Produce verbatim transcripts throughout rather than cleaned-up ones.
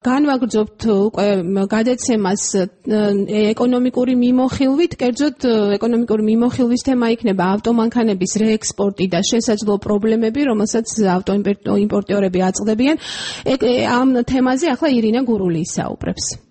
განვაგრძობთ უკვე გადაცემას ეკონომიკური მიმოხილვით, კერძოდ ეკონომიკური მიმოხილვის თემა იქნება ავტომანქანების რეექსპორტი და შესაძლო პრობლემები, რომელსაც ავტოიმპორტიორები აწყდებიან. ამ თემაზე ახლა ირინა გურული ისაუბრებს.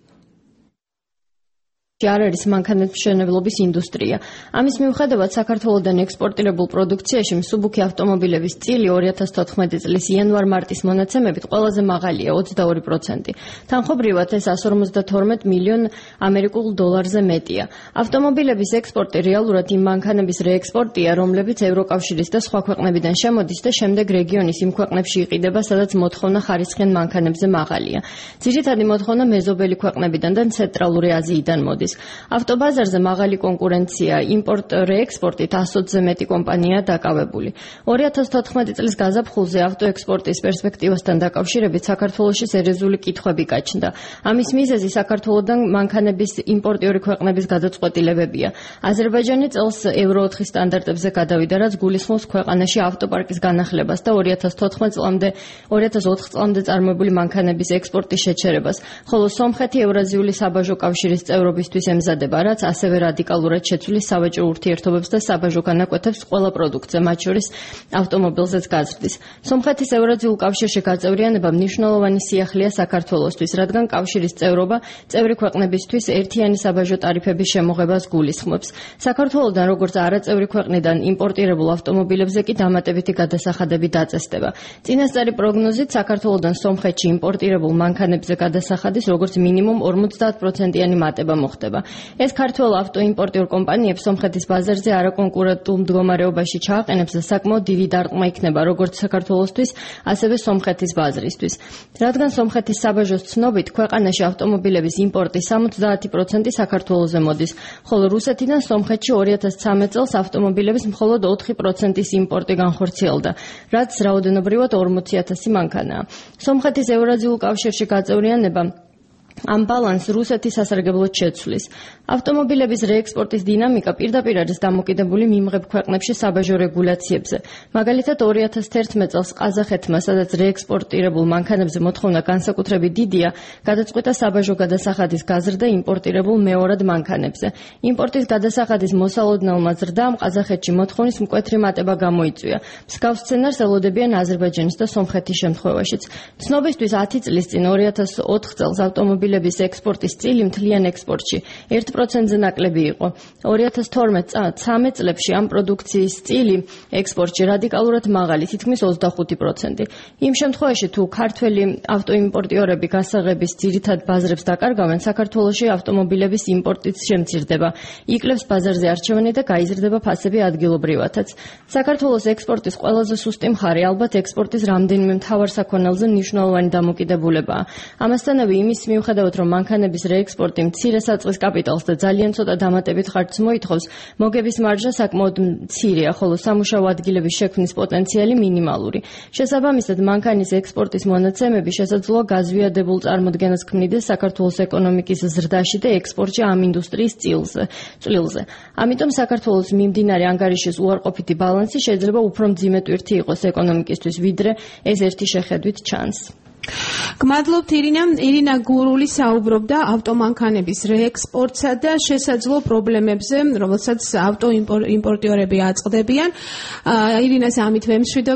არ არის მანქანების მშენებლობის ინდუსტრია. ამის მიუხედავად საქართველოდან ექსპორტირებულ პროდუქციაში მსუბუქი ავტომობილების წილი ორი ათას თოთხმეტი წლის იანვარ-მარტის მონაცემებით ყველაზე მაღალია ოცდაორი პროცენტი. თანხმობრივად ეს εκατს ორმოცდათორმეტ მილიონ ამერიკულ დოლარზე მეტია. ავტომობილების ექსპორტი რეალურად იმ მანქანების რეექსპორტია, რომლებიც ევროკავშირის და სხვა ქვეყნებიდან შემოდის და შემდეგ რეგიონის იმ ქვეყნებში იყიდება, სადაც მოთხოვნა ხარისხიან მანქანებზე მაღალია. ძირითადი მოთხოვნა მეზობელი ქვეყნებიდან და ცენტრალური აზიიდან მოდის. ავტობაზარზე მაღალი კონკურენცია, იმპორტ-რეექსპორტით ასოცზე მეტი კომპანიაა დაკავებული. ორი ათას თოთხმეტი წლის გაზაფხულზე ავტოექსპორტის პერსპექტივასთან დაკავშირებით საქართველოში სერიოზული კითხვები გაჩნდა. ამის მიზეზი საქართველოდან მანქანების იმპორტიორი ქვეყნების გადაწყვეტილებებია. აზერბაიჯანი წელს ევრო ოთხი სტანდარტებზე გადავიდა, რაც გულისხმობს ქვეყანაში ავტოპარკის განახლებას და ორი ათას თოთხმეტ წლამდე ორი ათას ოთხ წლამდე წარმოებული მანქანების ექსპორტის შეჩერებას, ხოლო სომხეთი ევრაზიული საბაჟო კავშირის წევრობისთვის ემზადება, რაც ასევე რადიკალურად შეცვლის სავაჭრო ურთიერთობებს და საბაჟო განაკვეთებს ყველა პროდუქტზე, მათ შორის ავტომობილზეც გაზრდის. სომხეთის ევრაზიულ კავშირში გაწევრიანება მნიშვნელოვანი სიახლეა საქართველოსთვის, რადგან კავშირის წევრობა წევრი ქვეყნებისთვის ერთიანი საბაჟო ტარიფების შემოღებას გულისხმობს. საქართველოდან როგორც არაწევრი ქვეყნიდან იმპორტირებულ ავტომობილებზე კი დამატებითი გადასახადები დაწესდება. წინასწარი პროგნოზით საქართველოდან სომხეთში იმპორტირებულ მანქანებზე გადასახადის როგორც მინიმუმ ორმოცდაათ პროცენტიანი მატება მოხდება. ეს ქართველ ავტოიმპორტიორ კომპანიებს სომხეთის ბაზარზე არაკონკურენტულ მდგომარეობაში ჩააყენებს და საკმაოდ დიდი დარტყმა იქნება როგორც საქართველოსთვის, ასევე სომხეთის ბაზრისთვის. რადგან სომხეთის საბაჟოს ცნობით, ქვეყანაში ავტომობილების იმპორტის სამოცდაათი პროცენტი საქართველოზე მოდის, ხოლო რუსეთიდან სომხეთში ორი ათას ცხრამეტ წელს ავტომობილების მხოლოდ ოთხი პროცენტის იმპორტი განხორციელდა, რაც რაოდენობრივად ორმოცი ათასი მანქანაა. სომხეთის ევრაზიულ კავშირში გაწევრიანება ამ ბალანს რუსეთის სასარგებლოდ შეცვლის. ავტომობილების რეექსპორტის დინამიკა პირდაპირ არის დამოკიდებული მიმღებ ქვეყნებში საბაჟო რეგულაციებზე. მაგალითად, ორი ათას თერთმეტ წელს ყაზახეთმა, სადაც რეექსპორტირებულ მანქანებზე მოთხოვნა განსაკუთრებით დიდია, გადაწყვიტა საბაჟო გადასახადის გაზრდა იმპორტირებულ მეორად მანქანებზე. იმპორტის გადასახადის მოსალოდნელმა ზრდამ ყაზახეთში მოთხოვნის მკვეთრი მატება გამოიწვია. მსგავს სცენარს ელოდებიან აზერბაიჯანის და სომხეთის შემთხვევაშიც. ცნობისთვის ათი წლის წინ ორი ათას ოთხ წელს ავტომობილების ექსპორტის წილი მთლიან ექსპორტში ერთ პროცენტზე ნაკლები იყო. ორი ათას თორმეტ წლებში ამ პროდუქციის წილი ექსპორტში რადიკალურად მაღალი, თითქმის ოცდახუთი პროცენტი. იმ შემთხვევაში, თუ ქართველი ავტოიმპორტიორები გასაღების ძირითად ბაზრებს დაკარგავენ, საქართველოში ავტომობილების იმპორტიც შემცირდება. იკლებს ბაზარზე არჩევანი და გაიზრდება ფასები ადგილობრივათაც. საქართველოს ექსპორტის ყველაზე სუსტი მხარე ალბათ ექსპორტის რამდენიმე მთავარ საქონელზე მნიშვნელოვანი დამოკიდებულებაა. ამასთანავე იმის მიუხედავად რომ მანქანების რეექსპორტი მცირე საწყის კაპიტალს და ძალიან ცოტა დამატებით ხარჯს მოითხოვს, მოგების მარჟა საკმაოდ მცირეა, ხოლო სამუშაო ადგილების შექმნის პოტენციალი მინიმალური. შესაბამისად, მანქანის ექსპორტის მონაცემები შესაძლოა გაზვიადებულ წარმოდგენას ქმნიდეს საქართველოს ეკონომიკის ზრდაში და ექსპორტში ამ ინდუსტრიის წილზე. ამიტომ საქართველოს მიმდინარე ანგარიშის უარყოფითი ბალანსი შეიძლება უფრო მძიმე ტვირთი იყოს ეკონომიკისთვის, ვიდრე ეს ერთი შეხედვით ჩანს. გმადლობთ ირინა. ირინა გურული საუბრობდა ავტომანქანების რეექსპორტსა და შესაძლო პრობლემებზე, რომელსაც ავტოიმპორტიორები აწყდებიან. ირინას ამით ვემშვიდობ.